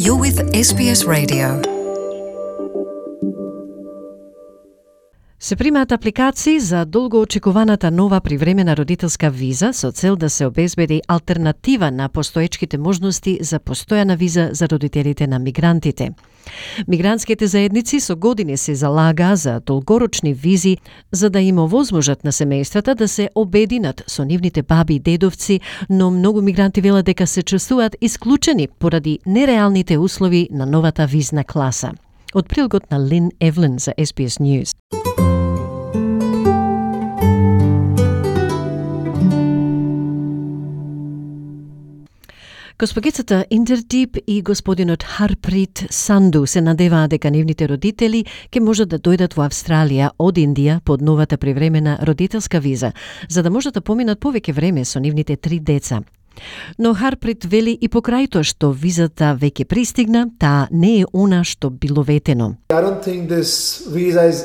You're with SBS Radio. Се примаат апликации за долгоочекуваната нова привремена родителска виза со цел да се обезбеди алтернатива на постоечките можности за постојана виза за родителите на мигрантите. Мигрантските заедници со години се залага за долгорочни визи за да им овозможат на семејствата да се обединат со нивните баби и дедовци, но многу мигранти велат дека се чувствуваат исклучени поради нереалните услови на новата визна класа. Од прилогот на Лин Евлин за SBS News. Госпогицата Индердип и господинот Харприт Санду се надеваат дека нивните родители ќе можат да дојдат во Австралија од Индија под новата привремена родителска виза, за да можат да поминат повеќе време со нивните 3 деца. Но Харприт вели и покрај тоа што визата веќе пристигна, таа не е она што било ветено. I don't think this visa is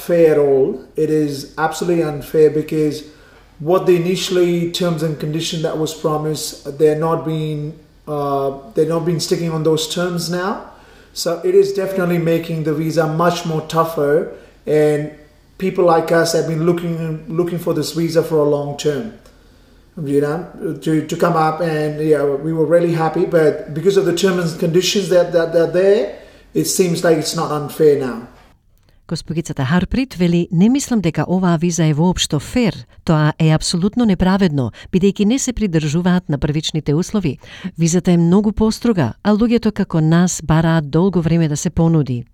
fair at all. It is absolutely unfair because what the initially terms and conditions that was promised, they're not been sticking on those terms now. So it is definitely making the visa much more tougher, and people like us have been looking for this visa for a long term. You know, to come up, and we were really happy, but because of the terms and conditions that are there, it seems like it's not unfair now. Госпогицата Харприт вели: "Не мислам дека оваа виза е воопшто фер. Тоа е апсолутно неправедно, бидејќи не се придржуваат на првичните услови. Визата е многу построга, а луѓето како нас бараат долго време да се понуди."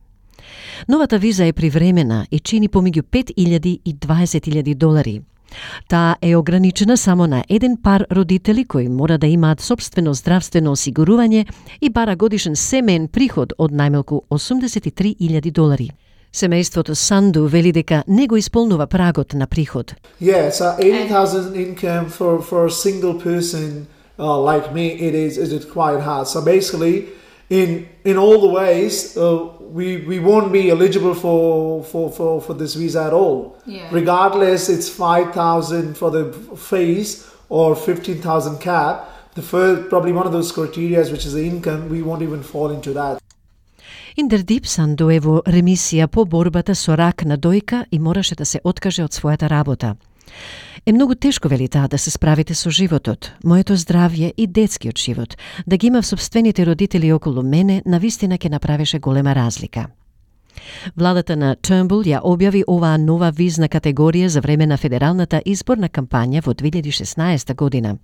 Новата виза е привремена и чини помеѓу $5,000 и $20,000. Таа е ограничена само на еден пар родители кои мора да имаат собствено здравствено осигурување и бара годишен семеен приход од најмалку $83,000. Семејството Санду вели дека не го исполнува прагот на приход. Yeah, so 80,000 income for a single person like me, it is quite hard. So basically, in all the ways, we won't be eligible for this visa at all. Yeah. Regardless, it's 5,000 for the fees or 15,000 cap. The first, probably one of those criteria, which is the income, we won't even fall into that. Индердип Санду е во ремисија по борбата со рак на дојка и мораше да се откаже од својата работа. Е многу тешко, вели таа, да се справите со животот, моето здравје и детскиот живот. Да ги имав собствените родители околу мене, навистина ќе направеше голема разлика. Владата на Turnbull ја објави оваа нова визна категорија за време на федералната изборна кампања во 2016 година.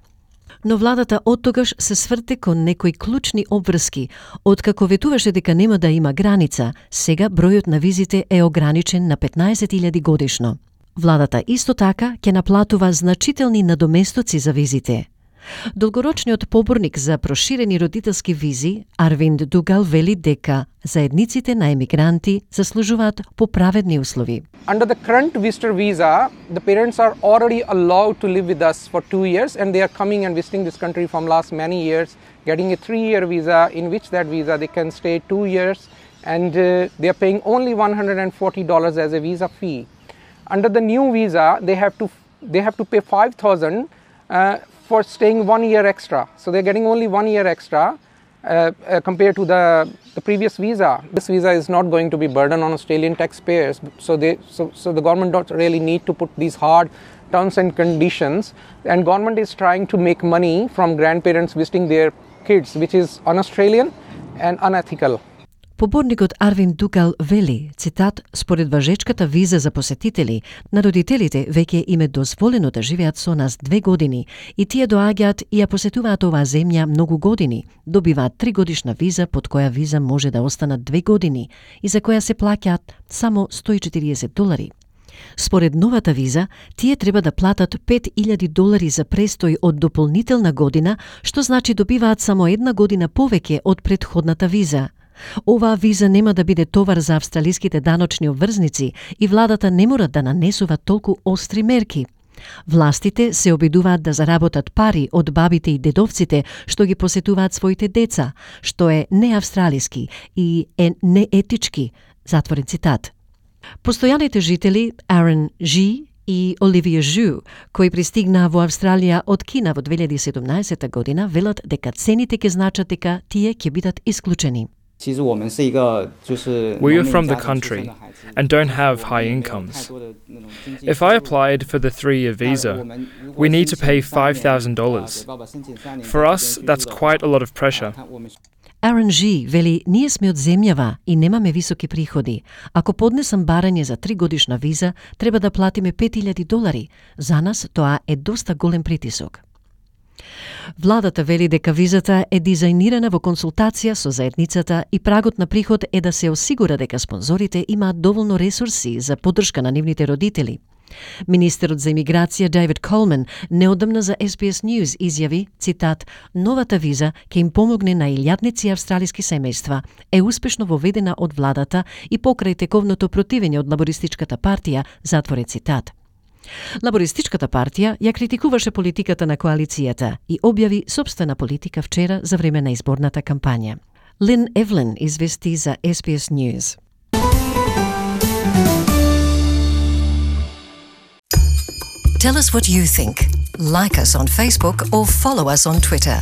Но владата оттогаш се сврте кон некои клучни обврски. Откако ветуваше дека нема да има граница, сега бројот на визите е ограничен на 15,000 годишно. Владата исто така ќе наплатува значителни надоместоци за визите. Долгорочниот поборник за проширени родителски визи, Арвинд Дугал, вели дека заедниците на емигранти заслужуваат поправедни услови. Under the current visitor visa, the parents are already allowed to live with us for 2 years, and they are coming and visiting this country from last many years, getting a 3-year visa, in which that visa they can stay 2 years, and they are paying only $140 as a visa fee. Under the new visa, they have to pay $5,000 for staying 1 year extra. So they're getting only 1 year extra compared to the previous visa. This visa is not going to be burden on Australian taxpayers. So the government don't really need to put these hard terms and conditions. And government is trying to make money from grandparents visiting their kids, which is un-Australian and unethical. Поборникот Арвин Дугал вели, цитат: "Според важечката виза за посетители, на родителите веќе им е дозволено да живеат со нас 2 години и тие доаѓаат и ја посетуваат оваа земја многу години. Добиваат 3 годишна виза, под која виза може да останат 2 години и за која се плаќаат само $140. Според новата виза, тие треба да платат $5,000 за престој од дополнителна година, што значи добиваат само 1 година повеќе од претходната виза. Оваа виза нема да биде товар за австралиските даночни обврзници и владата не мора да нанесува толку остри мерки. Властите се обидуваат да заработат пари од бабите и дедовците што ги посетуваат своите деца, што е неавстралиски и неетички, затворен цитат. Постојаните жители Арен Жи и Оливија Жу, кои пристигнаа во Австралија од Кина во 2017 година, велат дека цените ќе значат дека тие ќе бидат исклучени. We are from the country and don't have high incomes. If I applied for the 3-year visa, we need to pay $5,000. For us, that's quite a lot of pressure. Aaron G. вели, ние сме од земјава и немаме високи приходи. Ако поднесам барање за 3 годишна виза, треба да платиме $5,000. За нас тоа е доста голем притисок. Владата вели дека визата е дизајнирана во консултација со заедницата и прагот на приход е да се осигура дека спонзорите имаат доволно ресурси за поддршка на нивните родители. Министерот за имиграција Дейвид Колман неодамна за SBS News изјави, цитат, новата виза ќе им помогне на илјадници австралиски семејства, е успешно воведена од владата и покрај тековното противење од лабористичката партија, затворен цитат. Лабористичката партија ја критикуваше политиката на коалицијата и објави сопствена политика вчера за време на изборната кампања. Лин Евлин извести за SBS News. Tell us what you think. Like us on Facebook or follow us on Twitter.